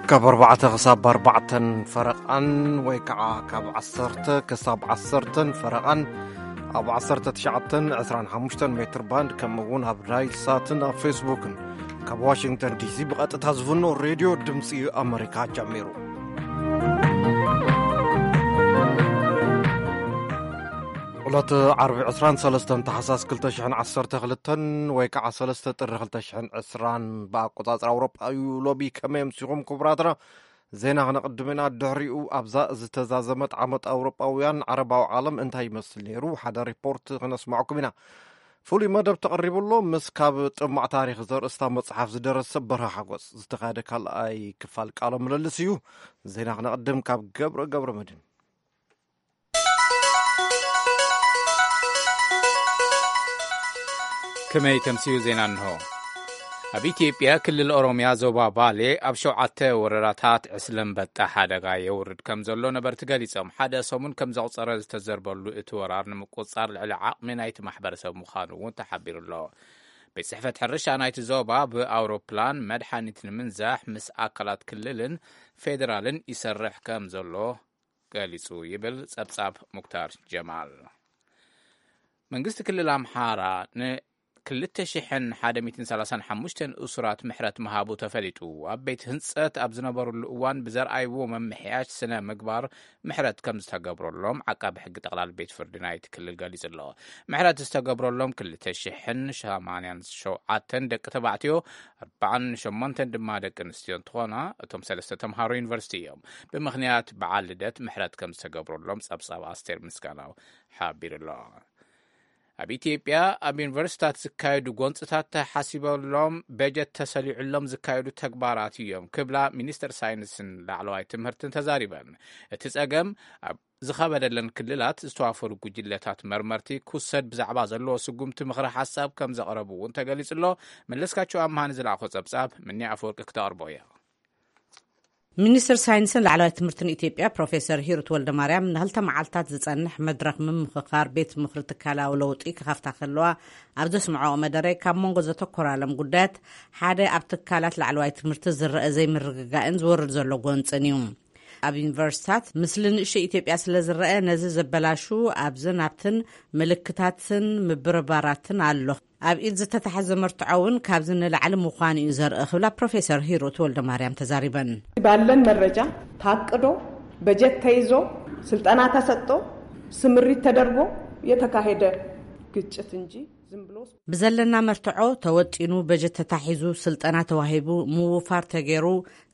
ካብ ኣርባዕተ ክሳብ ኣርባዕተን ፈረቓን ወይ ከዓ ካብ ዓሰርተ ክሳብ ዓሰርተን ፈረቓን ኣብ ዓሰርተ ትሽዓተን ዕስራን ሓሙሽተን ሜትር ባንድ፣ ከምኡ እውን ኣብ ናይል ሳትን ኣብ ፌስቡክን ካብ ዋሽንግተን ዲሲ ብቐጥታ ዝፍኖ ሬድዮ ድምፂ ኣመሪካ ጀሚሩ። ዕለት ዓርቢ ዕስራን ሰለስተን ታሕሳስ ክልተ ሽሕን ዓሰርተ ክልተን ወይ ከዓ ሰለስተ ጥሪ ክልተ ሽሕን ዕስራን ብኣቆጻጽራ ኣውሮጳ እዩ። ሎቢ ከመይ ኣምሲኹም ክቡራትና? ዜና ክነቕድም ኢና። ድሕሪኡ ኣብዛ ዝተዛዘመት ዓመት ኣውሮጳውያን ዓረባዊ ዓለም እንታይ ይመስል ነይሩ? ሓደ ሪፖርት ክነስማዕኩም ኢና። ፍሉይ መደብ ተቐሪቡ ኣሎ። ምስ ካብ ጥማዕ ታሪኽ ዘርእስታ መጽሓፍ ዝደረሰ በርሀ ሓጎስ ዝተኻየደ ካልኣይ ክፋል ቃለ ምልልስ እዩ። ዜና ክነቕድም ካብ ገብረ ገብረ መድህን። ከመይ ተምስዩ ዜና እንሆ። ኣብ ኢትዮጵያ ክልል ኦሮምያ ዞባ ባሌ ኣብ ሸውዓተ ወረዳታት ዕስለ ኣንበጣ ሓደጋ የውርድ ከም ዘሎ ነበርቲ ገሊጾም። ሓደ ሰሙን ከም ዘቑጸረ ዝተዘርበሉ እቲ ወራር ንምቁጽጻር ልዕሊ ዓቕሚ ናይቲ ማሕበረሰብ ምዃኑ እውን ተሓቢሩ ኣሎ። ቤት ጽሕፈት ሕርሻ ናይቲ ዞባ ብኣውሮፕላን መድሓኒት ንምንዛሕ ምስ ኣካላት ክልልን ፌደራልን ይሰርሕ ከም ዘሎ ገሊጹ ይብል ጸብጻብ ሙክታር ጀማል። መንግስቲ ክልል ኣምሓራ ንክልተ ሽሕን ሓደ ሚእትን ሰላሳን ሓሙሽተን እሱራት ምሕረት ምሃቡ ተፈሊጡ። ኣብ ቤት ህንጸት ኣብ ዝነበሩሉ እዋን ብዘርኣይዎ መምሕያሽ ስነ ምግባር ምሕረት ከም ዝተገብረሎም ዓቃቢ ሕጊ ጠቕላል ቤት ፍርዲ ናይቲ ክልል ገሊጹ ኣሎ። ምሕረት ዝተገብረሎም ክልተ ሽሕን ሸማንያን ሸውዓተን ደቂ ተባዕትዮ፣ ኣርባዓን ሸሞንተን ድማ ደቂ ኣንስትዮ እንትኾና፣ እቶም ሰለስተ ተምሃሮ ዩኒቨርሲቲ እዮም። ብምኽንያት በዓል ልደት ምሕረት ከም ዝተገብረሎም ጸብጻብ ኣስቴር ምስጋናው ሓቢሩ ኣሎ። ኣብ ኢትዮጵያ ኣብ ዩኒቨርሲታት ዝካየዱ ጎንጽታት ተሓሲበሎም በጀት ተሰሊዑሎም ዝካየዱ ተግባራት እዮም ክብላ ሚኒስትር ሳይንስን ላዕለዋይ ትምህርትን ተዛሪበን። እቲ ጸገም ኣብ ዝኸበደለን ክልላት ዝተዋፈሩ ጉጅለታት መርመርቲ ክውሰድ ብዛዕባ ዘለዎ ስጉምቲ ምኽረ ሓሳብ ከም ዘቕረቡ እውን ተገሊጹ ኣሎ። መለስካቸው ኣምሃ ንዝለኣኾ ጸብጻብ ምኒ ኣፈወርቂ ክተቕርቦ እያ። ሚኒስትር ሳይንስን ላዕለዋይ ትምህርትን ኢትዮጵያ ፕሮፌሰር ሂሩት ወልደማርያም ንክልተ መዓልታት ዝጸንሕ መድረኽ ምምኽኻር ቤት ምኽሪ ትካላዊ ለውጢ ክኸፍታ ከለዋ ኣብ ዘስምዐኦ መደረ፣ ካብ መንጎ ዘተኮራሎም ጉዳያት ሓደ ኣብ ትካላት ላዕለዋይ ትምህርቲ ዝረአ ዘይምርግጋእን ዝወርድ ዘሎ ጎንጽን እዩ። ኣብ ዩኒቨርሲታት ምስሊ ንእሽቶ ኢትዮጵያ ስለ ዝረአ፣ ነዚ ዘበላሹ ኣብዝን ኣብትን ምልክታትን ምብርባራትን ኣሎ። ኣብ ኢድ ዝተታሕዘ መርትዖ እውን ካብዚ ንላዕሊ ምዃኑ እዩ ዘርኢ ክብላ ፕሮፌሰር ሂሩት ወልደማርያም ተዛሪበን። ባለን መረጃ ታቅዶ፣ በጀት ተይዞ፣ ስልጠና ተሰጥቶ፣ ስምሪት ተደርጎ የተካሄደ ግጭት እንጂ ዝም ብሎ ብዘለና መርትዖ ተወጢኑ፣ በጀት ተታሒዙ፣ ስልጠና ተዋሂቡ፣ ምውፋር ተገይሩ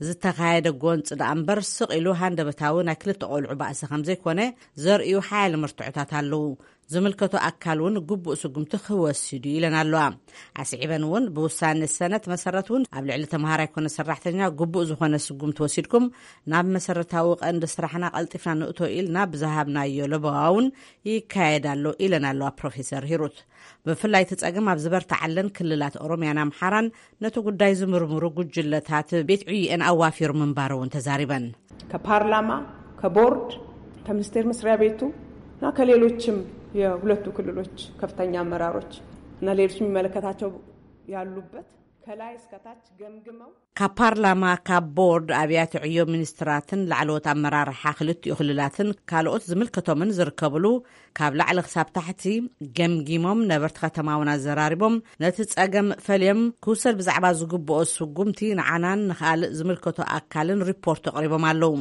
ዝተኻየደ ጎንፂ ደኣ እምበር፣ ስቕ ኢሉ ሃንደበታዊ ናይ ክልተ ቆልዑ ባእሲ ከም ዘይኮነ ዘርእዩ ሓያለ መርትዖታት ኣለዉ። ዝምልከቶ ኣካል እውን ግቡእ ስጉምቲ ክወስድ እዩ ኢለን ኣለዋ። ኣስዒበን እውን ብውሳኔ ሰነት መሰረት እውን ኣብ ልዕሊ ተምሃራይ ኮነ ሰራሕተኛ ግቡእ ዝኾነ ስጉምቲ ወሲድኩም ናብ መሰረታዊ ቀንዲ ስራሕና ቀልጢፍና ንእቶ ኢልና ብዝሃብናዮ ለበዋ እውን ይካየድ ኣሎ ኢለን ኣለዋ ፕሮፌሰር ሂሩት። ብፍላይ እቲ ጸገም ኣብ ዝበርትዓለን ክልላት ኦሮምያን ኣምሓራን ነቲ ጉዳይ ዝምርምሩ ጉጅለታት ቤት ዕዩኤን ኣዋፊሩ ምንባሩ እውን ተዛሪበን። ከፓርላማ፣ ከቦርድ፣ ከሚኒስቴር መስሪያ ቤቱ እና ከሌሎችም የሁለቱ ክልሎች ከፍተኛ አመራሮች እና ሌሎች የሚመለከታቸው ያሉበት ከላይ እስከታች ገምግመው ካብ ፓርላማ፣ ካብ ቦርድ፣ ኣብያተ ዕዮ ሚኒስትራትን ላዕለዎት ኣመራርሓ ክልቲኡ ክልላትን ካልኦት ዝምልከቶምን ዝርከብሉ ካብ ላዕሊ ክሳብ ታሕቲ ገምጊሞም፣ ነበርቲ ከተማ እውን ኣዘራሪቦም፣ ነቲ ጸገም ፈልዮም ክውሰድ ብዛዕባ ዝግብኦ ስጉምቲ ንዓናን ንኻልእ ዝምልከቶ ኣካልን ሪፖርት ኣቕሪቦም ኣለዉ።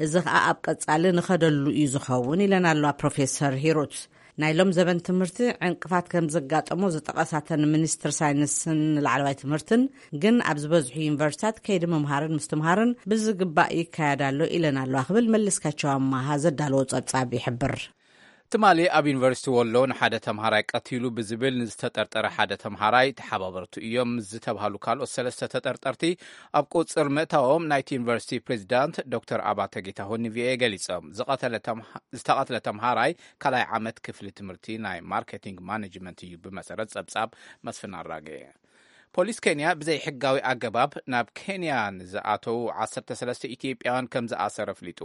እዚ ኸኣ ኣብ ቀጻሊ ንኸደሉ እዩ ዝኸውን ኢለን ኣለዋ ፕሮፌሰር ሂሩት። ናይ ሎም ዘበን ትምህርቲ ዕንቅፋት ከም ዘጋጠሞ ዝጠቐሳተን ሚኒስትር ሳይንስን ላዕለዋይ ትምህርትን ግን ኣብ ዝበዝሑ ዩኒቨርሲታት ከይዲ ምምሃርን ምስትምሃርን ብዝግባእ ይካየድ ኣሎ ኢለን ኣለዋ ክብል መለስካቸው ኣማሃ ዘዳለዎ ጸብጻብ ይሕብር። ትማሊ ኣብ ዩኒቨርሲቲ ወሎ ንሓደ ተምሃራይ ቀቲሉ ብዝብል ንዝተጠርጠረ ሓደ ተምሃራይ ተሓባበርቱ እዮም ዝተባሃሉ ካልኦት ሰለስተ ተጠርጠርቲ ኣብ ቁጽር ምእታዎም ናይቲ ዩኒቨርሲቲ ፕሬዚዳንት ዶክተር ኣባተ ጌታሁን ንቪኦኤ ገሊጾም። ዝቐተለ ተምሃ-፣ ዝተቐትለ ተምሃራይ ካልኣይ ዓመት ክፍሊ ትምህርቲ ናይ ማርኬቲንግ ማኔጅመንት እዩ ብመሰረት ጸብጻብ መስፍን ኣራጌ። ፖሊስ ኬንያ ብዘይሕጋዊ ኣገባብ ናብ ኬንያ ንዝኣተዉ ዓሰርተ ሰለስተ ኢትዮጵያውያን ከም ዝኣሰረ ኣፍሊጡ።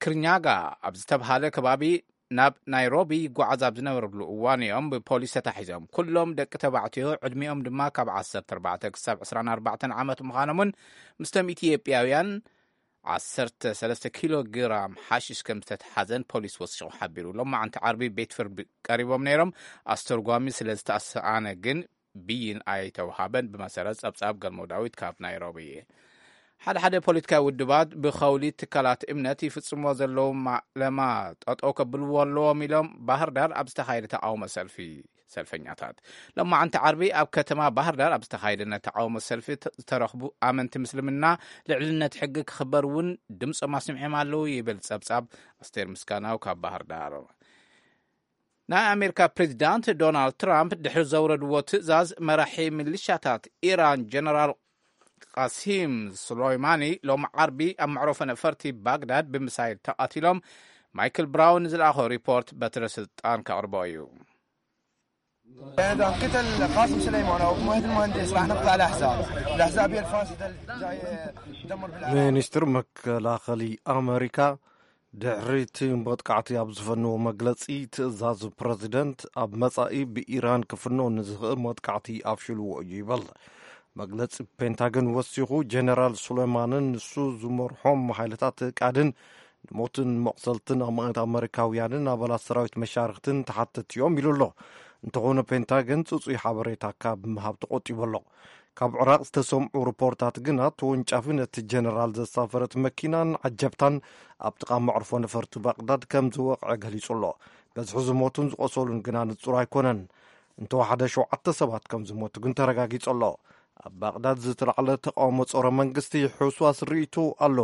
ክርኛጋ ኣብ ዝተብሃለ ከባቢ ናብ ናይሮቢ ይጓዓዝ ኣብ ዝነበረሉ እዋን እዮም ብፖሊስ ተታሒዞም። ኩሎም ደቂ ተባዕትዮ፣ ዕድሚኦም ድማ ካብ ዓሰርተ ኣርባዕተ ክሳብ ዕስራን ኣርባዕተን ዓመት ምዃኖምን ምስቶም ኢትዮጵያውያን ዓሰርተ ሰለስተ ኪሎ ግራም ሓሽሽ ከም ዝተተሓዘን ፖሊስ ወሲኹ ሓቢሩ። ሎማዓንቲ ዓርቢ ቤት ፍርዲ ቀሪቦም ነይሮም። ኣስተርጓሚ ስለ ዝተሰኣነ ግን ብይን ኣይተውሃበን። ብመሰረት ጸብጻብ ገልሞ ዳዊት ካብ ናይሮቢ። ሓደ ሓደ ፖለቲካዊ ውድባት ብኸውሊ ትካላት እምነት ይፍጽሞ ዘለዉ ማዕለማ ጠጠው ከብልዎ ኣለዎም ኢሎም ባህር ዳር ኣብ ዝተኻየደ ተቃውሞ ሰልፊ ሰልፈኛታት። ሎማዓንቲ ዓርቢ ኣብ ከተማ ባህር ዳር ኣብ ዝተኻየደ ናይ ተቃውሞ ሰልፊ ተ-፣ ዝተረኽቡ ኣመንቲ ምስልምና ልዕልነት ሕጊ ክኽበር እውን ድምፆም ኣስሚዖም ኣለዉ ይብል ጸብጻብ ኣስቴር ምስጋናው ካብ ባህር ዳር። ናይ ኣሜሪካ ፕሬዚዳንት ዶናልድ ትራምፕ ድሕሪ ዘውረድዎ ትእዛዝ መራሒ ሚሊሻታት ኢራን ጀነራል ቃሲም ሱሌይማኒ ሎም ዓርቢ ኣብ መዕረፎ ነፈርቲ ባግዳድ ብምሳይል ተቐቲሎም። ማይክል ብራውን ዝለኣኾ ሪፖርት በትረ ስልጣን ከቕርቦ እዩ። إذا قتل قاسم سليمان أو مهدي المهندس راح نقطع الأحزاب. الأحزاب هي الفاسدة الجاية تدمر بالعالم. ሚኒስትር መከላኸሊ ኣመሪካ ድሕሪ እቲ መጥቃዕቲ ኣብ ዝፈነዎ መግለጺ፣ ትእዛዝ ፕረዚደንት ኣብ መጻኢ ብኢራን ክፍኖ ንዝኽእል መጥቃዕቲ ኣፍሽልዎ እዩ ይበል። መግለጺ ፔንታገን ወሲኹ፣ ጀነራል ሱሌማንን ንሱ ዝመርሖም ሓይልታት ቃድን ንሞትን መቕሰልትን ኣማኢት ኣመሪካውያንን ኣባላት ሰራዊት መሻርክትን ተሓተቲ እዮም ኢሉ ኣሎ። እንተኾነ ፔንታገን ጽጹይ ሓበሬታ ካብ ምሃብ ተቖጢቡ ኣሎ። ካብ ዕራቕ ዝተሰምዑ ሪፖርታት ግና፣ ተወንጫፊ ነቲ ጀነራል ዘሳፈረት መኪናን ዓጀብታን ኣብ ጥቓ መዕርፎ ነፈርቲ ባቕዳድ ከም ዝወቕዐ ገሊጹ ኣሎ። በዝሒ ዝሞቱን ዝቖሰሉን ግና ንጹር ኣይኮነን። እንተወሓደ ሸውዓተ ሰባት ከም ዝሞቱ ግን ተረጋጊጹ ኣሎ። ኣብ ባቕዳድ ዝተላዕለ ተቃውሞ ጸረ መንግስቲ ሕውስዋስ ርእይቶ ኣሎ።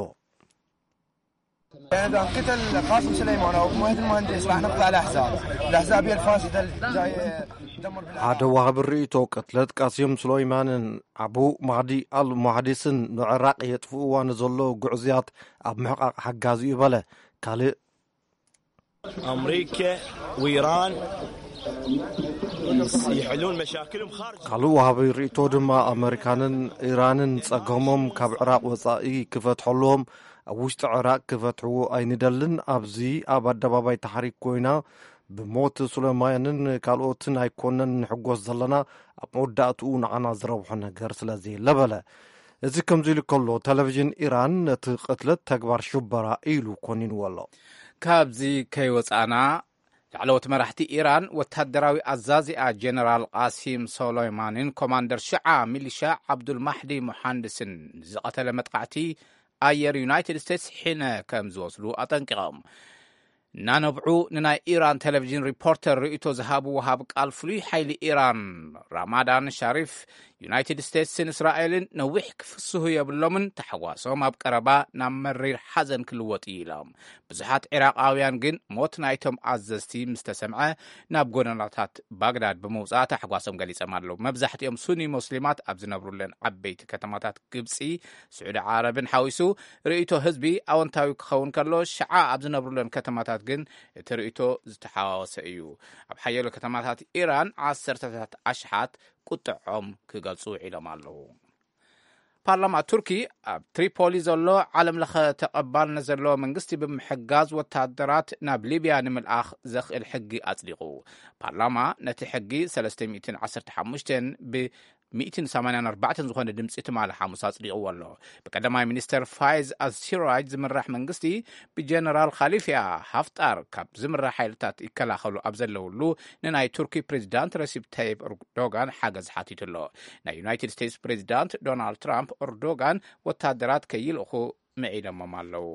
إذا قتل قاسم سليمان أو مهدي المهندس راح نقطع الأحزاب. الأحزاب هي الفاسدة الجاية تدمر بالعالم. ሓደ ዋሃቢ ርእይቶ፣ ቅትለት ቃሲም ሱለይማንን ኣቡ ማህዲ ኣል ሙሃዲስን ንዕራቕ የጥፍእዋ ንዘሎ ጉዕዝያት ኣብ ምሕቃቕ ሓጋዚ እዩ በለ። ካልእ أمريكا وإيران يحلون مشاكلهم خارج. ካልእ ዋሃቢ ርእይቶ ድማ፣ ኣመሪካንን ኢራንን ጸገሞም ካብ ዕራቕ ወጻኢ ክፈትሐሎም ኣብ ውሽጢ ዕራቕ ክፈትሕዎ ኣይንደልን። ኣብዚ ኣብ ኣደባባይ ታሕሪክ ኮይና ብሞት ሱለማንን ካልኦትን ኣይኮነን ንሕጎስ ዘለና፣ ኣብ መወዳእትኡ ንዓና ዝረብሖ ነገር ስለ ዘየለ በለ። እዚ ከምዚ ኢሉ ከሎ፣ ቴሌቪዥን ኢራን ነቲ ቅትለት ተግባር ሽበራ ኢሉ ኮኒንዎ ኣሎ። ካብዚ ከይወጻና፣ ላዕለዎት መራሕቲ ኢራን ወታደራዊ ኣዛዚኣ ጀነራል ቃሲም ሶሎይማንን ኮማንደር ሽዓ ሚሊሻ ዓብዱል ማሕዲ ሙሓንድስን ንዝቐተለ መጥቃዕቲ ኣየር ዩናይትድ ስቴትስ ሕነ ከም ዝወስዱ ኣጠንቂቖም። እናነብዑ ንናይ ኢራን ቴሌቪዥን ሪፖርተር ርእይቶ ዝሃቡ ወሃብ ቃል ፍሉይ ሓይሊ ኢራን ራማዳን ሻሪፍ፣ ዩናይትድ ስቴትስን እስራኤልን ነዊሕ ክፍስሁ የብሎምን፣ ታሕጓሶም ኣብ ቀረባ ናብ መሪር ሓዘን ክልወጥ እዩ ኢሎም። ብዙሓት ዒራቓውያን ግን ሞት ናይቶም ኣዘዝቲ ምስ ተሰምዐ ናብ ጎደናታት ባግዳድ ብምውጻእ ታሕጓሶም ገሊጾም ኣለዉ። መብዛሕትኦም ሱኒ ሙስሊማት ኣብ ዝነብሩለን ዓበይቲ ከተማታት ግብጺ፣ ስዑዲ ዓረብን ሓዊሱ ርእይቶ ህዝቢ ኣወንታዊ ክኸውን ከሎ፣ ሽዓ ኣብ ዝነብሩለን ከተማታት ግን እቲ ርእይቶ ዝተሓዋወሰ እዩ። ኣብ ሓያሎ ከተማታት ኢራን ዓሰርተታት ኣሽሓት ቁጥዖም ክገልጹ ውዒሎም ኣለዉ። ፓርላማ ቱርኪ ኣብ ትሪፖሊ ዘሎ ዓለም ለኸ ተቐባልነት ዘለዎ መንግስቲ ብምሕጋዝ ወታደራት ናብ ሊብያ ንምልኣኽ ዘኽእል ሕጊ ኣጽዲቑ። ፓርላማ ነቲ ሕጊ ሰለስተ ሚእትን ዓሰርተ ሓሙሽተን ብ ሚእትን ሰማንያን ኣርባዕተን ዝኾነ ድምፂ ትማሊ ሓሙስ ኣጽዲቕዎ ኣሎ። ብቀዳማይ ሚኒስተር ፋይዝ ኣልሲራጅ ዝምራሕ መንግስቲ ብጀነራል ካሊፊያ ሃፍጣር ካብ ዝምራሕ ሓይልታት ይከላኸሉ ኣብ ዘለውሉ ንናይ ቱርኪ ፕሬዚዳንት ረሲፕ ታይፕ ኤርዶጋን ሓገዝ ሓቲቱ ኣሎ። ናይ ዩናይትድ ስቴትስ ፕሬዚዳንት ዶናልድ ትራምፕ ኤርዶጋን ወታደራት ከይልእኹ ምዒዶሞም ኣለዉ።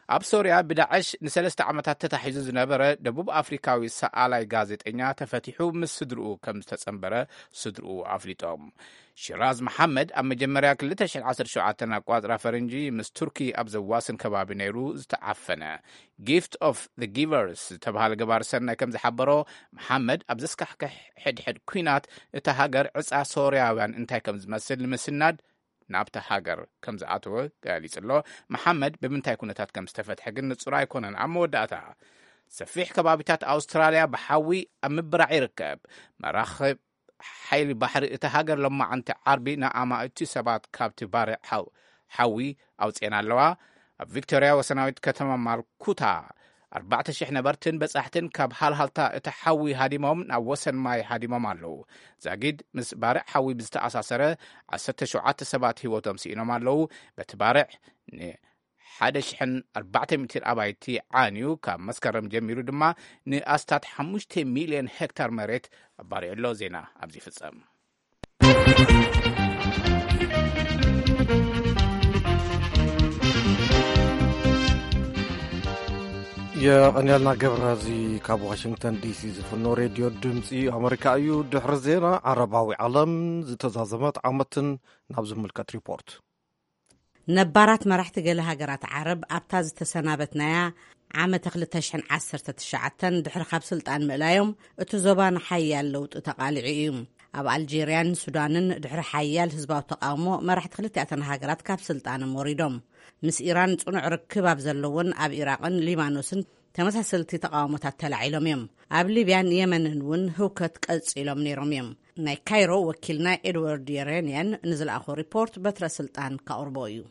ኣብ ሶርያ ብዳዕሽ ንሰለስተ ዓመታት ተታሒዙ ዝነበረ ደቡብ ኣፍሪካዊ ሰኣላይ ጋዜጠኛ ተፈቲሑ ምስ ስድርኡ ከም ዝተጸንበረ ስድርኡ ኣፍሊጦም። ሽራዝ መሓመድ ኣብ መጀመርያ ክልተ ሽሕን ዓሰርተ ሸውዓተን ኣቋጽራ ፈረንጂ ምስ ቱርኪ ኣብ ዘዋስን ከባቢ ነይሩ ዝተዓፈነ ጊፍት ኦፍ ዘ ጊቨርስ ዝተባሃለ ገባር ሰናይ ከም ዝሓበሮ፣ መሓመድ ኣብ ዘስካሕክሕ ሕድሕድ ኲናት እታ ሃገር ዕጻ ሶርያውያን እንታይ ከም ዝመስል ንምስናድ ናብታ ሃገር ከም ዝኣተወ ገሊጹ ኣሎ። መሓመድ ብምንታይ ኩነታት ከም ዝተፈትሐ ግን ንጹር ኣይኮነን። ኣብ መወዳእታ፣ ሰፊሕ ከባቢታት ኣውስትራልያ ብሓዊ ኣብ ምብራዕ ይርከብ። መራኽብ ሓይሊ ባሕሪ እታ ሃገር ሎማዓንቲ ዓርቢ ንኣማእቲ ሰባት ካብቲ ባርዕ ሓው-፣ ሓዊ ኣውፅኤን ኣለዋ። ኣብ ቪክቶርያ ወሰናዊት ከተማ ማልኩታ ኣርባዕተ ሽሕ ነበርትን በጻሕትን ካብ ሃልሃልታ እቲ ሓዊ ሃዲሞም ናብ ወሰን ማይ ሃዲሞም ኣለዉ። ዛጊድ ምስ ባርዕ ሓዊ ብዝተኣሳሰረ ዓሰርተ ሸውዓተ ሰባት ህይወቶም ስኢኖም ኣለዉ። በቲ ባርዕ ን ሓደ ሽሕን ኣርባዕተ ሚእትን ኣባይቲ ዓንዩ፣ ካብ መስከረም ጀሚሩ ድማ ንኣስታት ሓሙሽተ ሚልዮን ሄክታር መሬት ኣባሪዑ ኣሎ። ዜና ኣብዚ ይፍጸም። የቐንየልና ገብረ። እዚ ካብ ዋሽንግተን ዲሲ ዝፍኖ ሬድዮ ድምፂ ኣመሪካ እዩ። ድሕሪ ዜና ዓረባዊ ዓለም ዝተዛዘመት ዓመትን ናብ ዝምልከት ሪፖርት። ነባራት መራሕቲ ገለ ሃገራት ዓረብ ኣብታ ዝተሰናበትናያ ዓመተ ክልተ ሽሕን ዓሰርተ ትሽዓተን ድሕሪ ካብ ስልጣን ምእላዮም፣ እቲ ዞባ ንሓያል ለውጢ ተቓሊዑ እዩ። ኣብ ኣልጄርያን ሱዳንን ድሕሪ ሓያል ህዝባዊ ተቓውሞ፣ መራሕቲ ክልቲኣተን ሃገራት ካብ ስልጣኖም ወሪዶም። ምስ ኢራን ጽኑዕ ርክብ ኣብ ዘለዎን ኣብ ኢራቕን ሊባኖስን ተመሳሰልቲ ተቓውሞታት ተላዒሎም እዮም። ኣብ ሊብያን የመንን እውን ህውከት ቀጺሎም ነይሮም እዮም። ናይ ካይሮ ወኪልና ኤድዋርድ የሬንያን ንዝለኣኾ ሪፖርት በትረ ስልጣን ካቕርቦ እዩ።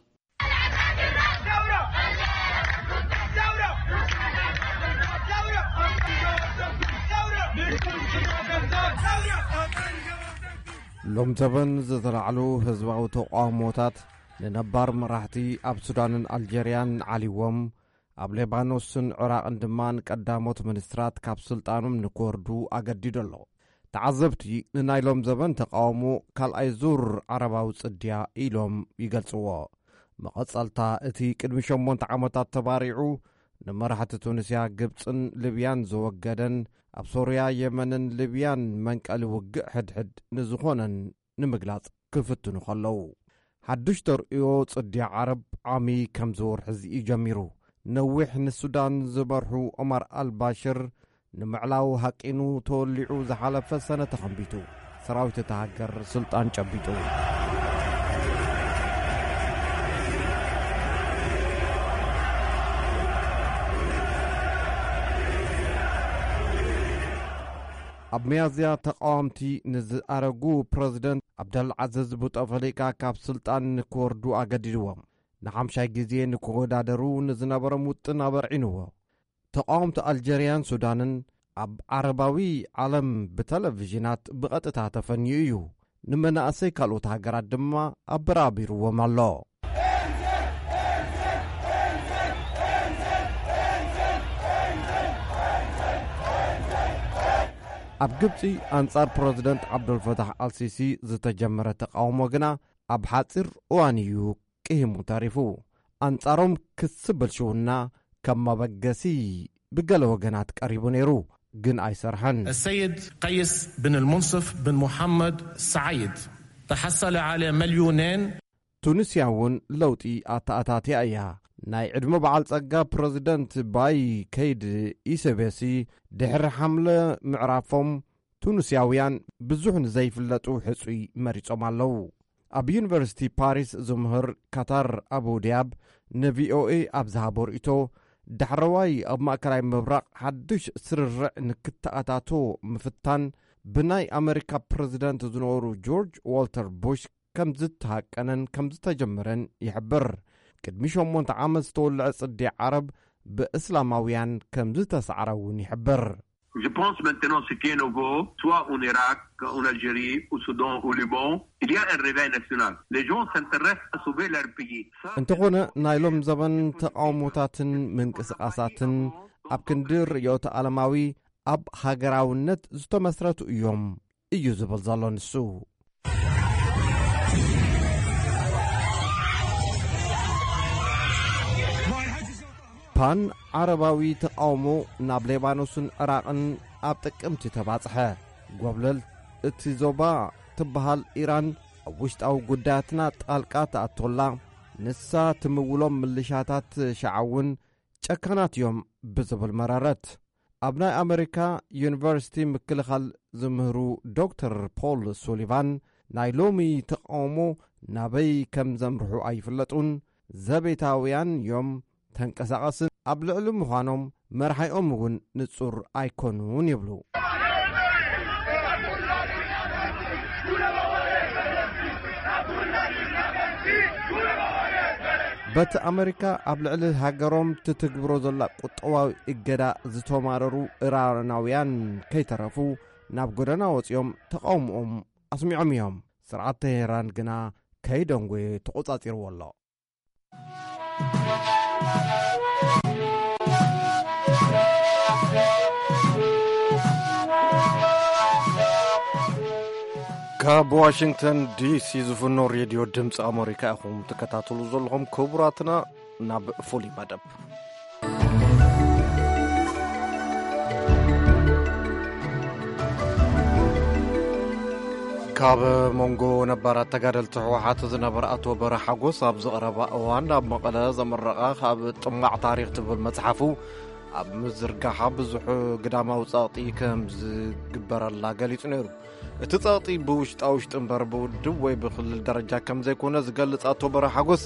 ሎም ዘበን ዝተላዕሉ ህዝባዊ ተቃውሞታት ንነባር መራሕቲ ኣብ ሱዳንን ኣልጀርያን ዓሊዎም፣ ኣብ ሌባኖስን ዕራቕን ድማ ንቀዳሞት ሚኒስትራት ካብ ስልጣኖም ንክወርዱ ኣገዲዱ ኣሎ። ተዓዘብቲ ንናይ ሎም ዘበን ተቃውሞ ካልኣይ ዙር ዓረባዊ ጽድያ ኢሎም ይገልጽዎ። መቐጸልታ እቲ ቅድሚ ሸሞንተ ዓመታት ተባሪዑ ንመራሕቲ ቱኒስያ፣ ግብጽን ሊብያን ዘወገደን፣ ኣብ ሶርያ፣ የመንን ሊብያን መንቀሊ ውግእ ሕድሕድ ንዝኾነን ንምግላጽ ክፍትኑ ከለዉ። ሓድሽ ተርእዮ ጽድያ ዓረብ ዓሚ ከም ዝወርሒ እዚ እዩ ጀሚሩ። ነዊሕ ንሱዳን ዝመርሑ ኦማር ኣልባሽር ንምዕላው ሃቂኑ ተወሊዑ ዝሓለፈ ሰነ ተኸንቢቱ፣ ሰራዊት እታ ሃገር ስልጣን ጨቢጡ። ኣብ ሚያዝያ ተቃወምቲ ንዝኣረጉ ፕረዚደንት ኣብደልዓዘዝ ቡጠፈሊቃ ካብ ስልጣን ንክወርዱ ኣገዲድዎም። ንሓምሻይ ግዜ ንክወዳደሩ ንዝነበሮም ውጥን ኣበርዒንዎ። ተቃወምቲ ኣልጀርያን ሱዳንን ኣብ ዓረባዊ ዓለም ብተለቪዥናት ብቐጥታ ተፈንዩ እዩ። ንመናእሰይ ካልኦት ሃገራት ድማ ኣበራቢርዎም ኣሎ። ኣብ ግብጺ ኣንጻር ፕረዚደንት ዓብደልፈታሕ ኣልሲሲ ዝተጀመረ ተቃውሞ ግና ኣብ ሓጺር እዋን እዩ ቅሂሙ ተሪፉ። ኣንጻሮም ክሲ ብልሽውና ከም መበገሲ ብገለ ወገናት ቀሪቡ ነይሩ፣ ግን ኣይሰርሐን። السيد قيس بن المنصف بن محمد سعيد تحصل على مليونين. ቱኒስያ እውን ለውጢ ኣተኣታትያ እያ። ናይ ዕድመ በዓል ጸጋ ፕረዚደንት ባይ ከይድ ኢሰቤሲ ድሕሪ ሓምለ ምዕራፎም ቱኒስያውያን ብዙሕ ንዘይፍለጡ ሕጹይ መሪጾም ኣለዉ። ኣብ ዩኒቨርሲቲ ፓሪስ ዝምህር ካታር ኣቡ ዲያብ ንቪኦኤ ኣብ ዝሃቦ ርእይቶ፣ ዳሕረዋይ ኣብ ማእከላይ ምብራቕ ሓድሽ ስርርዕ ንክተኣታቶ ምፍታን ብናይ ኣመሪካ ፕረዚደንት ዝነበሩ ጆርጅ ዋልተር ቡሽ ከም ዝተሃቀነን ከም ዝተጀመረን ይሕብር። ቅድሚ ሸሞንተ ዓመት ዝተወልዐ ጽድያ ዓረብ ብእስላማውያን ከም ዝተሳዕረ እውን ይሕብር። Je pense maintenant ce qui est nouveau, soit en Irak, en Algérie, au Soudan, au Liban, il y a un réveil national. Les gens s'intéressent à sauver leur pays. Ça, እንተኾነ ናይ ሎም ዘበን ተቃውሞታትን ምንቅስቃሳትን ኣብ ክንዲ ርእዮተ ዓለማዊ ኣብ ሃገራውነት ዝተመስረቱ እዮም እዩ ዝብል ዘሎ ንሱ። ፓን ዓረባዊ ተቃውሞ ናብ ሌባኖስን ዕራቕን ኣብ ጥቅምቲ ተባጽሐ። ጎብለል እቲ ዞባ ትበሃል ኢራን ኣብ ውሽጣዊ ጉዳያትና ጣልቃ ትኣቶላ፣ ንሳ ትምውሎም ምልሻታት ሸዓ እውን ጨካናት እዮም ብዝብል መረረት። ኣብ ናይ ኣመሪካ ዩኒቨርሲቲ ምክልኻል ዝምህሩ ዶክተር ፖል ሱሊቫን፣ ናይ ሎሚ ተቃውሞ ናበይ ከም ዘምርሑ ኣይፍለጡን፣ ዘቤታውያን እዮም፣ ተንቀሳቐስን ኣብ ልዕሊ ምዃኖም መርሓይኦም እውን ንጹር ኣይኮኑን ይብሉ። በቲ ኣመሪካ ኣብ ልዕሊ ሃገሮም ትትግብሮ ዘላ ቁጠባዊ እገዳ ዝተማረሩ ኢራናውያን ከይተረፉ ናብ ጎደና ወጺኦም ተቓውሞኦም ኣስሚዖም እዮም። ስርዓት ተሄራን ግና ከይደንጎየ ተቖጻጺርዎ ኣሎ። ካብ ዋሽንግተን ዲሲ ዝፍኖ ሬድዮ ድምፂ ኣመሪካ ኢኹም ትከታተሉ ዘለኹም። ክቡራትና፣ ናብ ፍሉይ መደብ። ካብ መንጎ ነባራት ተጋደልቲ ህወሓት ዝነበረ ኣቶ በረ ሓጎስ ኣብ ዝቐረባ እዋን ኣብ መቐለ ዘመረቐ ካብ ጥማዕ ታሪኽ ትብል መጽሓፉ ኣብ ምዝርጋሓ ብዙሕ ግዳማዊ ጸቕጢ ከም ዝግበረላ ገሊጹ ነይሩ። እቲ ጸቕጢ ብውሽጣ ውሽጢ እምበር ብውድብ ወይ ብክልል ደረጃ ከም ዘይኮነ ዝገልጽ ኣቶ በረ ሓጎስ፣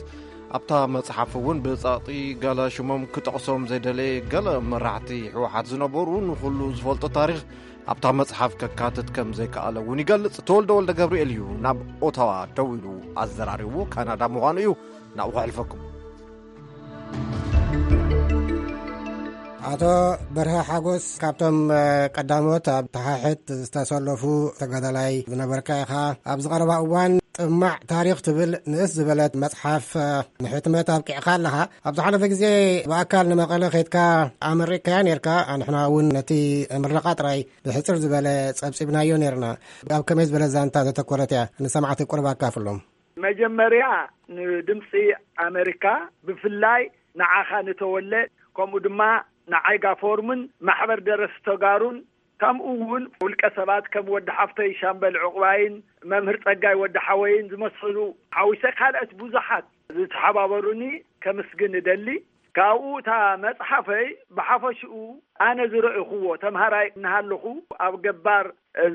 ኣብታ መጽሓፍ እውን ብጸቕጢ ገለ ሽሞም ክጠቕሶም ዘይደለየ ገለ መራሕቲ ህወሓት ዝነበሩ ንኹሉ ዝፈልጦ ታሪኽ ኣብታ መጽሓፍ ከካትት ከም ዘይከኣለ እውን ይገልጽ። ተወልደ ወልደ ገብርኤል እዩ ናብ ኦታዋ ደዊሉ ኣዘራሪቡ፣ ካናዳ ምዃኑ እዩ። ናብኡ ከሕልፈኩም። ኣቶ በርሀ ሓጎስ፣ ካብቶም፣ እ፣ ቀዳሞት ኣብ ተሓሕት ዝተሰለፉ ተጋዳላይ ዝነበርካ ኢኻ። ኣብ ዝቐረባ እዋን ጥማዕ ታሪኽ ትብል ንእስ ዝበለት መጽሓፍ፣ እ፣ ንሕትመት ኣብቂዕካ ኣለኻ። ኣብ ዝሓለፈ ግዜ ብኣካል ንመቐለ ኸይድካ ኣመሪካያ ነርካ። ንሕና እውን ነቲ ምረቓ ጥራይ ብሕጽር ዝበለ ጸብጺብናዮ ነርና። ኣብ ከመይ ዝበለ ዛንታ ዘተኮረት እያ? ንሰማዕቲ ቁሩብ ኣካፍሎም። መጀመርያ ንድምፂ ኣመሪካ፣ ብፍላይ ንዓኻ ንተወለ፣ ከምኡ ድማ ንዓይጋ ፎርምን ማሕበር ደረስቲ ተጋሩን፣ ከምኡ እውን ውልቀ ሰባት ከም ወዲ ሓፍተይ ሻምበል ዕቑባይን መምህር ጸጋይ ወዲ ሓወይን ዝመሰሉ ሓዊሰ ካልኦት ብዙሓት ዝተሓባበሩኒ ከምስግን እደሊ። ካብኡ እታ መጽሓፈይ ብሓፈሽኡ ኣነ ዝረእኹዎ ተምሃራይ እናሃለኹ ኣብ ገባር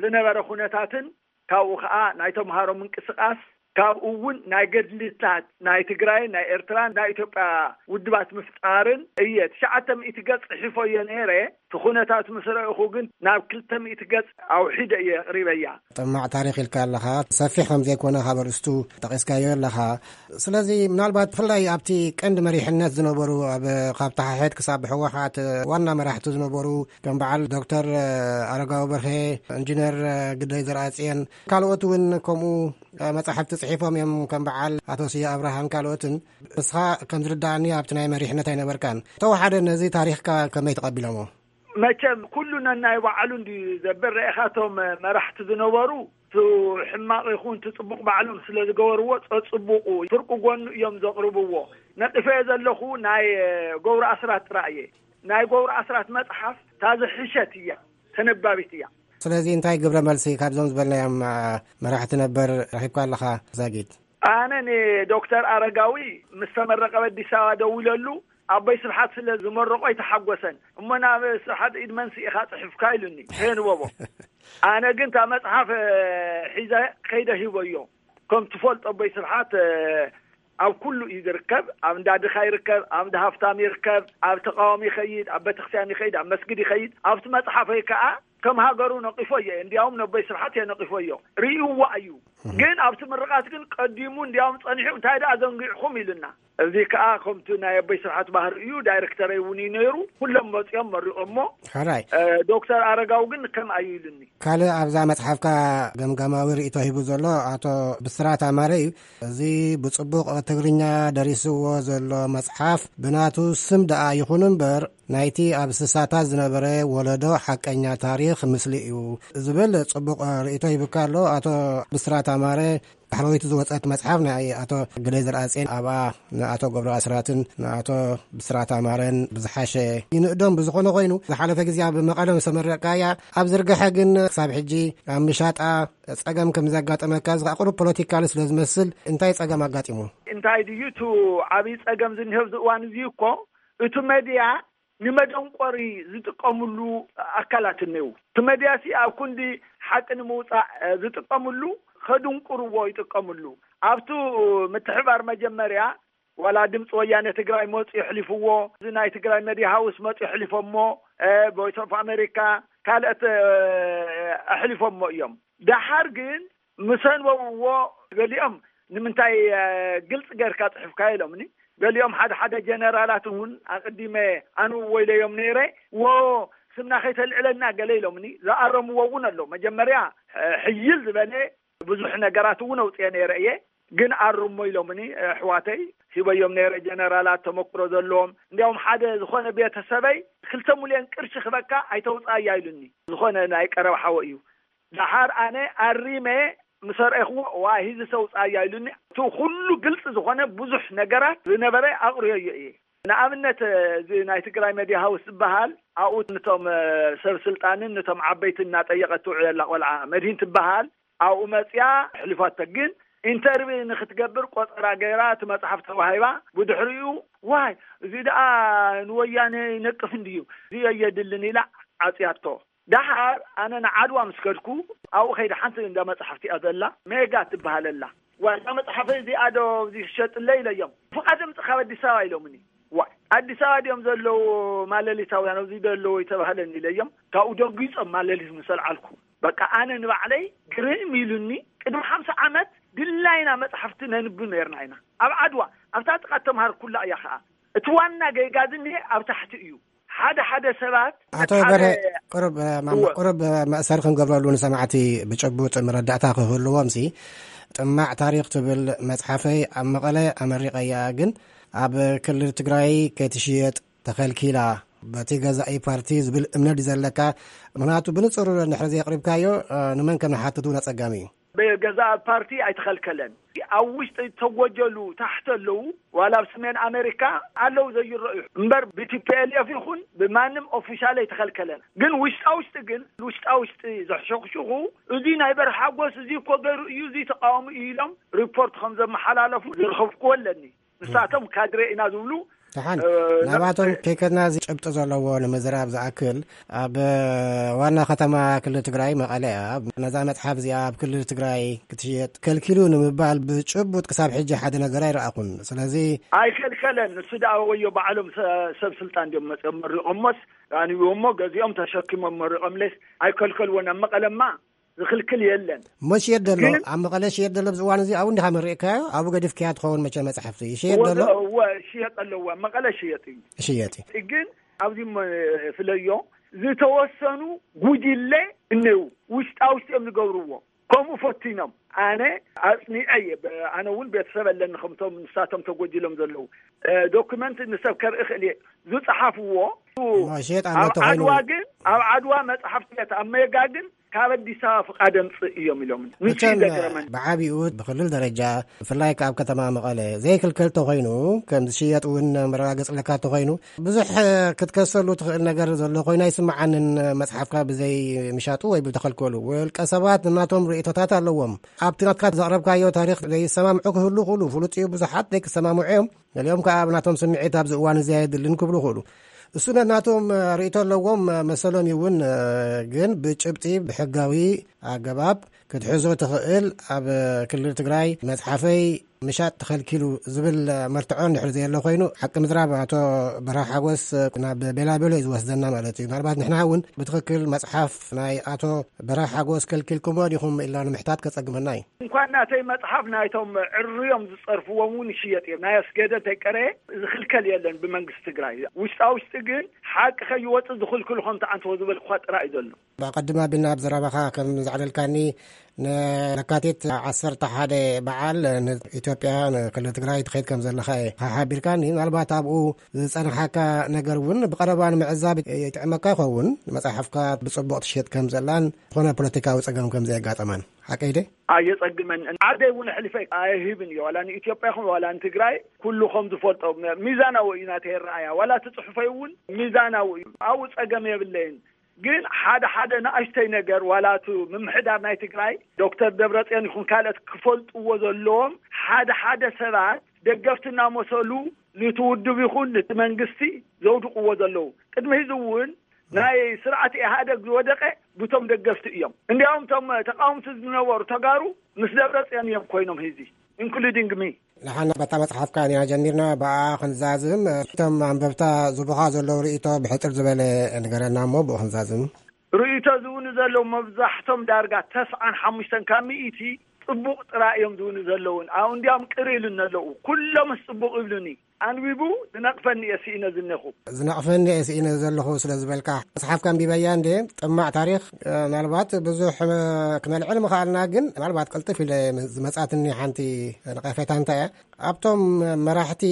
ዝነበረ ኩነታትን ካብኡ ኸዓ ናይ ተምሃሮ ምንቅስቓስ፣ ካብኡ እውን ናይ ገድልታት ናይ ትግራይን ናይ ኤርትራን ናይ ኢትዮጵያ ውድባት ምፍጣርን እየ ትሽዓተ ሚእቲ ገጽ ጽሒፎዮ ነይረ። እቲ ኩነታት ምስ ረእኹ ግን ናብ ክልተ ሚእቲ ገጽ ኣውሒደ እየ ኣቕሪበያ። ጥማዕ ታሪኽ ኢልካ ኣለኻ፣ ሰፊሕ ከም ዘይኮነ ካብ ኣርእስቱ ጠቒስካዮ ኣለኻ። ስለዚ ምናልባት ብፍላይ ኣብቲ ቀንዲ መሪሕነት ዝነበሩ፣ ኣብ፣ ካብ ተሓሕት ክሳብ ህወሓት ዋና መራሕቲ ዝነበሩ ከም በዓል ዶክተር ኣረጋዊ በርሄ፣ ኢንጂነር ግደይ ዘርኣጽዮን፣ ካልኦት እውን ከምኡ መጻሕፍቲ ጽሒፎም እዮም፣ ከም በዓል ኣቶ ስየ ኣብርሃን ካልኦትን። ንስኻ ከም ዝርዳእኒ ኣብቲ ናይ መሪሕነት ኣይነበርካን። ተወሓደ ነዚ ታሪኽካ ከመይ ተቐቢሎሞ? መቸም ኩሉ ነናይ ባዕሉ እንድዩ ዘብል። ርኢኻቶም መራሕቲ ዝነበሩ፣ እቲ ሕማቕ ይኹን እቲ ጽቡቕ ባዕሎም ስለ ዝገበርዎ፣ ጸጽቡቑ ፍርቂ ጎኑ እዮም ዘቕርብዎ። ነቒፈዮ ዘለኹ ናይ ገብሩ ኣስራት ጥራይ እየ። ናይ ገብሩ ኣስራት መጽሓፍ እታ ዝሕሸት እያ፣ ተነባቢት እያ። ስለዚ እንታይ ግብረ መልሲ ካብዞም ዝበልናዮም፣ አ፣ መራሕቲ ነበር ረኺብካ ኣለኻ ዛጊት? ኣነ ንዶክተር ኣረጋዊ ምስ ተመረቐ ኣብ ኣዲስ ኣበባ ደዊለሉ፣ ኣቦይ ስብሓት ስለ ዝመረቆ ኣይተሓጎሰን። እሞ ናብ ስብሓት ኢድ መንሲ ኢኻ ጽሒፍካ ኢሉኒ፣ ከየንበቦ። ኣነ ግን እታ መጽሓፍ፣ እ፣ ሒዘ ከይደ ሂበዮ። ከም ትፈልጦ ኣቦይ ስብሓት፣ እ፣ ኣብ ኩሉ እዩ ዝርከብ። ኣብ እንዳ ድኻ ይርከብ፣ ኣብ እንዳ ሃፍታም ይርከብ፣ ኣብ ተቃዋሚ ይኸይድ፣ ኣብ ቤተክርስትያን ይኸይድ፣ ኣብ መስጊድ ይኸይድ። ኣብቲ መጽሓፈይ ከኣ ከም ሃገሩ ነቂፎዮ እየ። እንዲያውም ነቦይ ስብሓት እየ ነቂፎዮ። ርእይዋ እዩ። እህ። ግን ኣብቲ ምርቓት ግን ቀዲሙ እንዲያውም ጸኒሑ፣ "እንታይ ደኣ ዘንጊዕኹም?" ኢሉና። እዚ ከኣ ከምቲ ናይ ኣቦይ ስብሓት ባህሪ እዩ። ዳይሬክተረይ እውን እዩ ነይሩ። ኩሎም መጺኦም መሪቖሞ። ሕራይ። እ፣ ዶክተር ኣረጋዊ ግን ከም ኣዩ ኢሉኒ። ካልእ ኣብዛ መጽሓፍካ ገምጋማዊ ርእይቶ ሂቡ ዘሎ ኣቶ ብስራት ኣማረ እዩ። እዚ ብጽቡቕ ትግርኛ ደሪስዎ ዘሎ መጽሓፍ ብናቱ ስም ደኣ ይኹን እምበር፣ ናይቲ ኣብ ስሳታት ዝነበረ ወለዶ ሓቀኛ ታሪኽ ምስሊ እዩ ዝብል ጽቡቕ ርእይቶ ሂቡካ ኣሎ ኣቶ ብስራት ኣማረ። ዳሕረወይቲ ዝወጸት መጽሓፍ ናይ ኣቶ ግደይ ዘርኣጼን ኣብኣ ንኣቶ ገብሩ ኣስራትን ንኣቶ ብስራት ኣማረን ብዝሓሸ ይንእዶም። ብዝኾነ ኮይኑ፣ ዝሓለፈ ግዜ ኣብ መቐለ ምስ ተመረቕካያ፣ ኣብ ዝርግሐ ግን ክሳብ ሕጂ ኣብ ምሻጣ ጸገም ከም ዘጋጠመካ፣ እዚ ከኣ ቁሩብ ፖለቲካሊ ስለ ዝመስል፣ እንታይ ጸገም ኣጋጢሙ? እንታይ ድዩ እቲ ዓብዪ ጸገም ዝኒሀ ኣብዚ እዋን እዚ እኮ፣ እቲ መድያ ንመደንቆሪ ዝጥቀምሉ ኣካላት እኔው። እቲ መድያሲ ኣብ ክንዲ ሓቂ ንምውጻእ፣ እ፣ ዝጥቀምሉ፣ ከድንቁርዎ ይጥቀምሉ። ኣብቱ ምትሕባር መጀመርያ ዋላ ድምፂ ወያነ ትግራይ መፁ የሕሊፍዎ፣ እዚ ናይ ትግራይ መድያ ሃውስ መፁ የሕሊፎሞ፣ እ፣ ቮይስ ኦፍ ኣሜሪካ፣ ካልኦት፣ እ፣ ኣሕሊፎሞ እዮም። ደሓር ግን ምስ ኣንበብዎ ገሊኦም ንምንታይ፣ እ፣ ግልፂ ጌርካ ፅሑፍካ ኢሎምኒ። ገሊኦም ሓደ ሓደ ጀነራላት እውን ኣቐዲመ ኣንብቦ ኢለዮም ነይረ። ዎ፣ ስምና ከይተልዕለና ገለ ኢሎምኒ። ዝኣረምዎ እውን ኣሎ። መጀመርያ፣ እ፣ ሕይል ዝበለ ብዙሕ ነገራት እውን ኣውፅኤ ነይረ እየ። ግን ኣርሞ ኢሎምኒ፣ እ፣ ኣሕዋተይ ሂበዮም ነይረ፣ ጀነራላት ተመክሮ ዘለዎም። እንዲያውም ሓደ ዝኾነ ቤተሰበይ ክልተ ሚልዮን ቅርሺ ክበካ ኣይተውፅኣያ ኢሉኒ። ዝኾነ ናይ ቀረባ ሓወ እዩ። ደሓር ኣነ ኣሪመ ምስ ኣርኣኹዎ፣ ዋይ፣ ሂዚ ሰው ጻያ ኢሉኒ። እቲ ኩሉ ግልጽ ዝኾነ ብዙሕ ነገራት ዝነበረ ኣቕርዮዮ እየ። ንኣብነት፣ እዚ ናይ ትግራይ መድያ ሃውስ ዝበሃል፣ ኣብኡ ነቶም፣ እ፣ ሰብ ስልጣንን ነቶም ዓበይትን እናጠየቐት ትውዕል ኣላ ቆልዓ መድሂን ትበሃል። ኣብኡ መጽያ ኣሕሊፋቶ። ግን ኢንተርቪ ንኽትገብር ቆጸራ ገይራ እቲ መጽሓፍ ተዋሂባ። ብድሕሪኡ፣ ዋይ፣ እዚ ደኣ ንወያነ ይነቅፍ እንድዩ፣ እዚ ኣየድልን ኢላ ዓጽያቶ። ደሓር ኣነ ንዓድዋ ምስ ከድኩ፣ ኣብኡ ከይደ ሓንቲ እንዳ መጽሓፍቲ እያ ዘላ፣ ሜጋ ትበሃል ኣላ። ዋ፣ እዛ መጽሓፈይ እዚኣ ዶ እዚ ክሸጥለይ ኢለዮም። ፍቓድ ኣምጽእ ካብ ኣዲስ ኣበባ ኢሎምኒ። ዋ፣ ኣዲስ ኣበባ ድዮም ዘለዉ ማለሊታውያን፣ ኣብዚ ዶ ኣለዉ ይተባህለኒ ኢለዮም። ካብኡ ደንጊጾም ማለሊት ምስ ኣልዓልኩ፣ በቃ ኣነ ንባዕለይ ግርም ኢሉኒ። ቅድሚ ሓምሳ ዓመት ድላይና መጽሓፍቲ ነንብብ ነይርና ኢና። ኣብ ዓድዋ፣ ኣብታ ጥቓ ተምሃርኩላ እያ ኸኣ። እቲ ዋና ጌጋ ዝኒሀ ኣብ ታሕቲ እዩ። ሓደ ሓደ ሰባት ኣቶ ነቲ ሓደ በርሀ፣ ቁሩብ፣ እ፣ ማማ፣ እወ። ቁሩብ፣ እ፣ መእሰሪ ክንገብረሉ ንሰማዕቲ ብጭቡጥ መረዳእታ ክህልዎም ሲ፣ ጥማዕ ታሪኽ ትብል መጽሓፈይ ኣብ መቐለ ኣመሪቐያ፣ ግን ኣብ ክልል ትግራይ ከይትሽየጥ ተኸልኪላ በቲ ገዛኢ ፓርቲ ዝብል እምነት እዩ ዘለካ? ምኽንያቱ ብንጹር እንድሕር ዘየቕሪብካዮ፣ እ፣ ንመን ከም ንሓትት እውን ኣጸጋሚ እዩ። ብገዛኢ ፓርቲ ኣይተኸልከለን። ኣብ ውሽጢ ተጎጀሉ ታሕቲ ኣለዉ፣ ዋላ ኣብ ሰሜን ኣሜሪካ ኣለዉ ዘይረኣዩ። እምበር ብቲፒኤልኤፍ ይኹን ብማንም ኦፊሻል ኣይተኸልከለን። ግን ውሽጣ ውሽጢ ግን፣ ውሽጣ ውሽጢ ዘሕሸኽሽኹ፣ እዚ ናይ በርሃ ሓጎስ እዚ እኮ ገይሩ እዩ፣ እዚ ተቃዋሚ እዩ ኢሎም ሪፖርት ከም ዘመሓላለፉ ዝረኸብክዎ ኣለኒ። ንሳቶም ካድሬ ኢና ዝብሉ፣ ደሓን፣ እ፣ ናባቶም ከይከድና፣ እዚ ጭብጢ ዘለዎ ንምዝራብ ዝኣክል፣ ኣብ ዋና ከተማ ክልል ትግራይ መቐለ እያ። ነዛ መጽሓፍ እዚኣ ኣብ ክልል ትግራይ ክትሽየጥ ከልኪሉ ንምባል ብጭቡጥ ክሳብ ሕጂ ሓደ ነገር ኣይረኣኹን። ስለዚ ኣይከልከለን። ንሱ ደኣ ወዮ ባዕሎም ሰ-፣ ሰብ ስልጣን ድዮም መጽኦም መሪቖሞስ፣ ኣንብቦ እሞ ገዚኦም ተሸኪሞም መሪቖምለስ ኣይከልከልዎን። ኣብ መቐለማ ዝኽልክል የለን። እሞ ሽየጥ ዘሎ፣ ግን ኣብ መቐለ ሽየጥ ዘሎ ኣብዚ እዋን እዚ ኣብኡ እንዲኻ መሪእካዮ? ኣብኡ ገዲፍካያ ትኸውን መቸ መጽሓፍቲ ይሽየጥ ዘሎ? እወ፣ እወ፣ ሽየጥ ኣለዎ። መቐለ ሽየጥ እዩ። ሽየጥ እዩ። ግን ኣብዚ መ-፣ ፍለዮ ዝተወሰኑ ጉጅለ እነው ውሽጣ ውሽጢ እዮም ዝገብርዎ። ከምኡ ፈቲኖም። ኣነ ኣጽኒዐ እየ። ብ-፣ ኣነ እውን ቤተሰብ ኣለኒ ከምቶም ንሳቶም ተጎጅሎም ዘለዉ። እ፣ ዶክመንት ንሰብ ከርኢ ክእል እየ። ዝጸሓፍዎ እሞ ሽየጥ ኣሎ ኣብ ተኾይኑ ዓድዋ ግን፣ ኣብ ዓድዋ መጽሓፍቲ ቤት ኣብ ሜጋ ግን ካብ ኣዲስ ኣበባ ፍቓድ ኣምጽእ እዮም ኢሎም። ንሱ እዩ መቸም ዘገረመኒ። ብዓቢኡ ብክልል ደረጃ ብፍላይ ከኣ ኣብ ከተማ መቐለ ዘይክልከል ተኾይኑ ከም ዝሽየጥ እውን መረጋገጽ ኣለካ ተኾይኑ ብዙሕ ክትከሰሉ ትኽእል ነገር ዘሎ ኮይኑ ኣይስምዓንን። መጽሓፍካ ብዘይ ምሻጡ ወይ ብተኸልከሉ ውልቀ ሰባት ናቶም ርእይቶታት ኣለዎም። ኣብቲ ናትካ ዘቕረብካዮ ታሪኽ ዘይሰማምዑ ክህሉ ክእሉ ፍሉጥ እዩ። ብዙሓት ዘይክሰማምዑ እዮም። ገሊኦም ከኣ ኣብ ናቶም ስምዒት ኣብዚ እዋን እዚ ኣየድልን ክብሉ ክእሉ። እሱ ነናቶም ርእይቶ ኣለዎም መሰሎም ይውን፣ ግን ብጭብጢ ብሕጋዊ ኣገባብ ክትሕዞ ትኽእል። ኣብ ክልል ትግራይ መጽሓፈይ ምሻጥ ተኸልኪሉ ዝብል መርትዖ እንድሕር ዘየሎ ኮይኑ፣ ሓቂ ምዝራብ ኣቶ በርሃ ሓጎስ ናብ ቤላቤሎ እዩ ዝወስደና ማለት እዩ። ምናልባት ንሕና እውን ብትኽክል መጽሓፍ ናይ ኣቶ በርሃ ሓጎስ ከልኪልኩሞ ዲኹም ኢልና ንምሕታት ከጸግመና እዩ። እንኳን ናተይ መጽሓፍ ናይቶም ዕርዮም ዝጸርፍዎም እውን ይሽየጥ እዮም። ናይ ኣስገደ እንተይቀረየ ዝኽልከል የለን ብመንግስቲ ትግራይ። ውሽጣ ውሽጢ ግን ሓቂ ከይወጽእ ዝኽልክሉ ከም ተዓንትዎ ዝበልኩኻ ጥራይ እዩ ዘሎ። ብቐድም ኣቢልና ኣብ ዘረባኻ ከም ዘዕለልካኒ፣ ንለካቲት ዓሰርተ ሓደ በዓል ንኢትዮጵያ ንክልል ትግራይ ትኸይድ ከም ዘለኻ ሓቢርካኒ። ምናልባት ኣብኡ ዝጸንሓካ ነገር እውን ብቐረባ ንምዕዛብ ይጥዕመካ ይኸውን። መጽሓፍካ ብጽቡቕ ትሽየጥ ከም ዘላን ዝኾነ ፖለቲካዊ ጸገም ከም ዘየጋጠማን። ሓቀይ ደ? ኣየጸግመን። ዓደይ እውን ኣሕሊፈ ኣይህብን እየ። ዋላ ንኢትዮጵያ ይኹን ዋላ ንትግራይ ኩሉ ከም ዝፈልጦ ሚዛናዊ እዩ ናተይ ኣረኣእያ። ዋላ እቲ ጽሑፈይ እውን ሚዛናዊ እዩ። ኣብኡ ጸገም የብለይን። ግን ሓደ ሓደ ንኣሽተይ ነገር፣ ዋላ እቲ ምምሕዳር ናይ ትግራይ ዶክተር ደብረጽዮን ይኹን ካልኦት ክፈልጥዎ ዘለዎም፣ ሓደ ሓደ ሰባት ደገፍቲ እናመሰሉ ነቲ ውድብ ይኹን ነቲ መንግስቲ ዘውድቕዎ ዘለዉ። ቅድሚ ሕዚ እውን ናይ ስርዓት ኢህኣደግ ዝወደቀ ብቶም ደገፍቲ እዮም። እንዲያውም እቶም ተቃወምቲ ዝነበሩ ተጋሩ ምስ ደብረጽዮን እዮም ኮይኖም ሕዚ፣ ኢንክሉዲንግ ሚ። ንሓና በታ መጽሓፍካ ኢና ጀሚርና፣ ብኣ ክንዛዝም። እቶም ኣንበብታ ዝቡኻ ዘለዉ ርእይቶ ብሕጽር ዝበለ ንገረና እሞ ብኡ ክንዛዝም። ርእይቶ ዝብሉ ዘለዉ መብዛሕቶም ዳርጋ ተስዓን ሓሙሽተን ካብ ሚእቲ ጽቡቕ ጥራይ እዮም ዝብሉ ዘለዉን። ኣብኡ እንዲያውም ቅር ኢሉኒ ኣለዉ። ኩሎምስ ጽቡቕ ይብሉኒ። ኣንቢቡ ዝነቕፈኒ እየ ስኢነ ዝኔኹ። ዝነቕፈኒ እየ ስኢነ ዘለኹ ስለ ዝበልካ፣ መጽሓፍካ ኣንቢበያ እንዴ? ጥማዕ ታሪኽ። እ፣ ምናልባት ብዙሕ፣ እ፣ ክነልዕል ምኽኣልና፣ ግን ምናልባት ቅልጥፍ ኢለ ዝመጻትኒ ሓንቲ ነቐፌታ እንታይ እያ? ኣብቶም መራሕቲ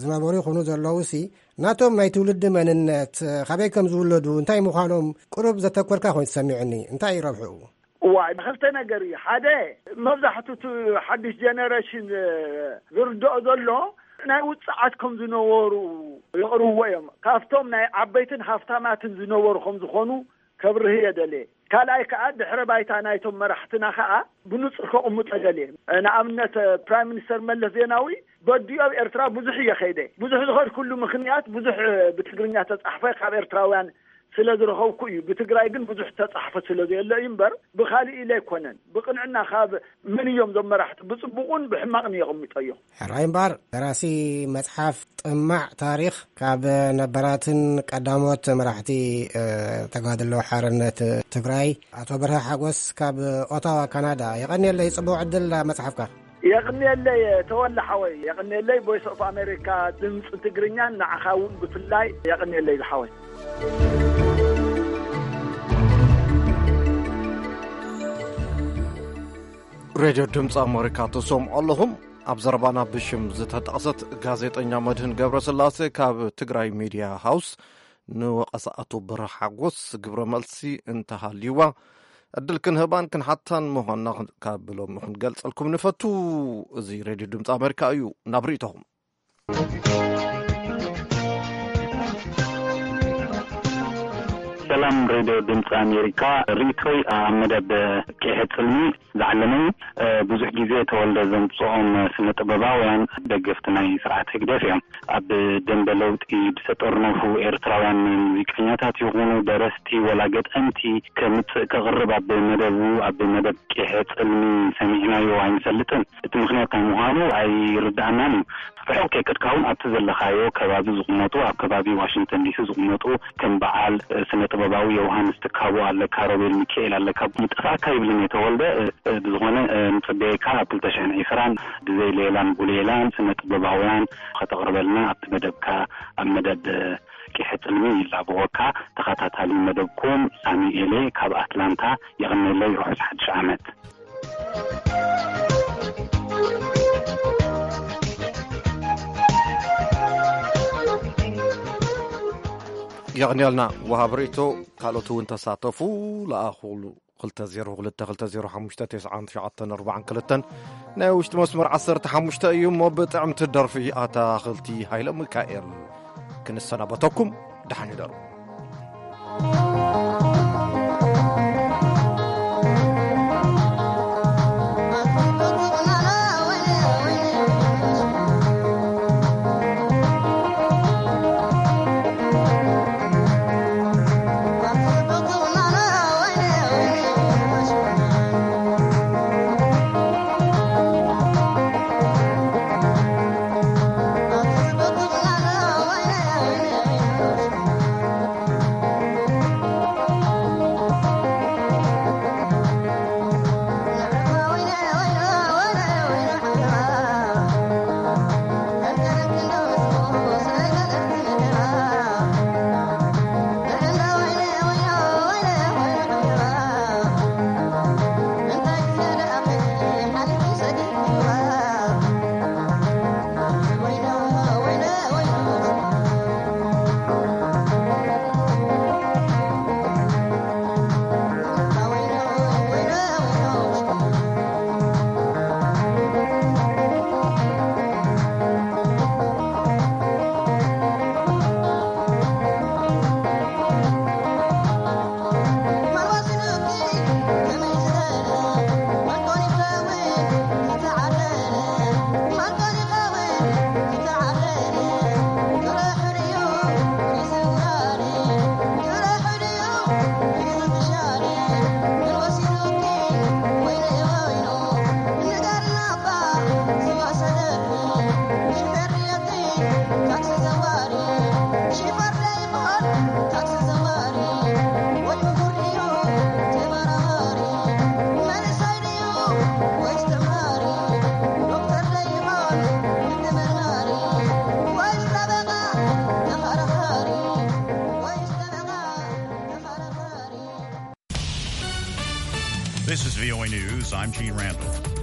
ዝነበሩ ይኹኑ ዘለዉ ሲ፣ ናቶም ናይ ትውልዲ መንነት፣ እ፣ ካበይ ከም ዝውለዱ፣ እንታይ ምዃኖም ቁሩብ ዘተኮርካ ኮይኑ ተሰሚዑኒ። እንታይ እዩ ረብሕኡ? እዋይ፣ ክልተ ነገር እዩ። ሓደ፣ መብዛሕቱ እቲ ሓድሽ ጀነሬሽን፣ እ፣ ዝርድኦ ዘሎ ናይ ውጽዓት ከም ዝነበሩ የቕርብዎ እዮም። ካብቶም ናይ ዓበይትን ሃፍታማትን ዝነበሩ ከም ዝኾኑ ከብርህ እየ ደልየ። ካልኣይ ከኣ፣ ድሕረ ባይታ ናይቶም መራሕትና ከኣ ብንጹር ከቕምጦ ደልየ። ንኣብነት፣ ፕራይም ሚኒስተር መለስ ዜናዊ በዲኡ ኣብ ኤርትራ ብዙሕ እየ ከይደ። ብዙሕ ዝኸድኩሉ ምኽንያት፣ ብዙሕ ብትግርኛ ተጻሕፈ ካብ ኤርትራውያን ስለ ዝረኸብኩ እዩ። ብትግራይ ግን ብዙሕ ተጻሕፈ ስለ ዘየለ እዩ እምበር፣ ብኻልእ ኢለ ኣይኮነን። ብቕንዕና ካብ መን እዮም እዞም መራሕቲ፣ ብጽቡቕን ብሕማቕን የቐምጦ እዮም። ሕራይ እምበኣር፣ ደራሲ መጽሓፍ ጥማዕ ታሪኽ፣ ካብ ነባራትን ቀዳሞት መራሕቲ፣ እ፣ ተጋድሎ ሓርነት ትግራይ፣ ኣቶ በርሀ ሓጎስ ካብ ኦታዋ ካናዳ፣ የቐንየለይ፣ ጽቡቕ ዕድል ኣብ መጽሓፍካ። የቕንየለይ ተወለ ሓወይ፣ የቕንየለይ። ቮይስ ኦፍ ኣሜሪካ ድምፂ ትግርኛን ንዓኻ እውን ብፍላይ የቕንየለይ ዝሓወይ። ሬድዮ ድምፂ ኣሜሪካ ትሰምዑ ኣለኹም። ኣብ ዘረባና ብሽም ዝተጠቕሰት ጋዜጠኛ መድህን ገብረስላሴ ካብ ትግራይ ሚድያ ሃውስ ንወቐሳ ኣቶ በርሀ ሓጎስ ግብረ መልሲ እንተሃልይዋ፣ ዕድል ክንህባን ክንሓታን ምዃንና ካብ ሎሚ ክንገልጸልኩም ንፈቱ። እዚ ሬድዮ ድምፂ ኣሜሪካ እዩ። ናብ ርእይቶኹም። ሰላም ሬድዮ ድምፂ ኣሜሪካ። ርእይቶይ ኣብ መደብ ቂሐ ጽልሚ ዝዓለመ እዩ። እ፣ ብዙሕ ግዜ ተወልደ ዘምጽኦም ስነ ጥበባውያን ደገፍቲ ናይ ስርዓት ህግደፍ እዮም። ኣብ ደንበ ለውጢ ዝተጠርነፉ ኤርትራውያን ሙዚቀኛታት ይኹኑ ደረስቲ ወላ ገጠምቲ ከምጽእ ከቕርብ ኣብ መደቡ፣ ኣብ መደብ ቂሐ ጽልሚ ሰሚዕናዮ ኣይንፈልጥን። እቲ ምኽንያት እንታይ ምዃኑ ኣይርድኣናን እዩ። ርሑቕ ከይከድካ እውን ኣብቲ ዘለኻዮ ከባቢ ዝቕመጡ፣ ኣብ ከባቢ ዋሽንግተን ዲሲ ዝቕመጡ ከም በዓል፣ እ፣ ስነ ጥበባዊ ዮውሃንስ ትካቦ ኣለካ፣ ሮቤል ሚካኤል ኣለካ። ይጠፍኣካ ይብልን እየ ተወልደ። እ፣ እ፣ ብዝኾነ፣ እ፣ ንጽበየካ ኣብ ክልተ ሽሕን ዕስራን ብዘይ ሌላን ጉሌላን ስነ ጥበባውያን ከተቕርበልና ኣብቲ መደብካ፣ ኣብ መደብ፣ እ፣ ቂሐ ጽልሚ ይላበወካ። ተኸታታሊ መደብኩም ሳሚ ኤሌ ካብ ኣትላንታ። የቐንየለይ፣ ርሑስ ሓድሽ ዓመት። የቕንየልና ወሃብ ርእይቶ። ካልኦት እውን ተሳተፉ። ለኣኹሉ ክልተ ዜሮ ክልተ ክልተ ዜሮ ሓሙሽተ ተስዓን ትሽዓተን ኣርባዓን ክልተን። ናይ ውሽጢ መስመር ዓሰርተ ሓሙሽተ እዩ እሞ ብጥዕምቲ ደርፊ ኣታኽልቲ ሃይለ ሚካኤል ክንሰናበተኩም። ደሓን ይደሩ። V O A News, I'm Gene Randall.